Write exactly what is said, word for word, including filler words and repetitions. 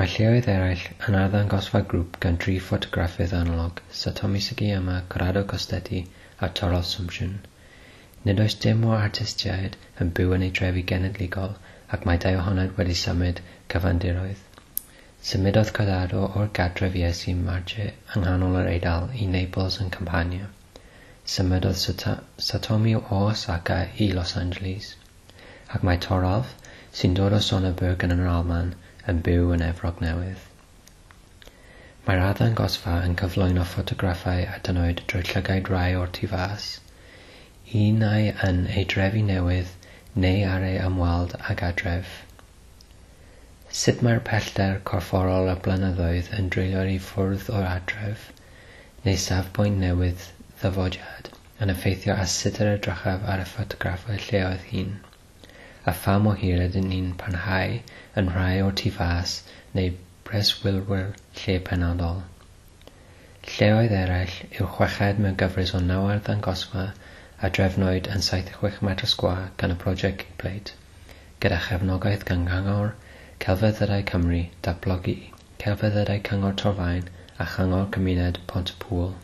Mae lleoedd eraill yn arddangosfa grŵp gan dri ffotograffydd analog, Satomi Sugiyama, Corrado Costetti a Toralf Sumsion. Nid oes dim o artistiaid yn byw yn eu trefi genedigol ac mae dau ohonynt wedi symud cyfandiroedd. Symudodd Corrado o'r gartref Iesu Marche yng nghanol yr Eidal i Naples yn Campania. Symudodd Satomi o Osaka i Los Angeles. Ac mae Toralf, sy'n dod o Sonneberg yn yr Almaen, yn byw yn Efrog Newydd. Mae'r arddangosfa yn cyflwyno ffotograffau a dynnwyd drwy llygaid rhai o'r tu fas, un ai yn ei drefi newydd neu ar ei ymweld ag adref. Sut mae'r pellter corfforol y blynyddoedd yn dreulio i ffwrdd o'r adref, neu safbwynt newydd ddyfodiad, yn effeithio ar sut yr edrychaf ar y ffotograffau lleoedd hyn, a pha mor hir ydyn ni'n parhau yn rhai o'r tu fas neu breswylwyr lle penodol. Lleoedd eraill yw chweched mewn gyfres o naw arddangosfa a drefnwyd yn saith chwech metr sgwâr gan y prosiect Kickplate, gyda chefnogaeth gan Gyngor Celfyddydau Cymru, Datblygu Celfyddydau Cyngor Torfaen a Chyngor Cymuned Pontypŵl.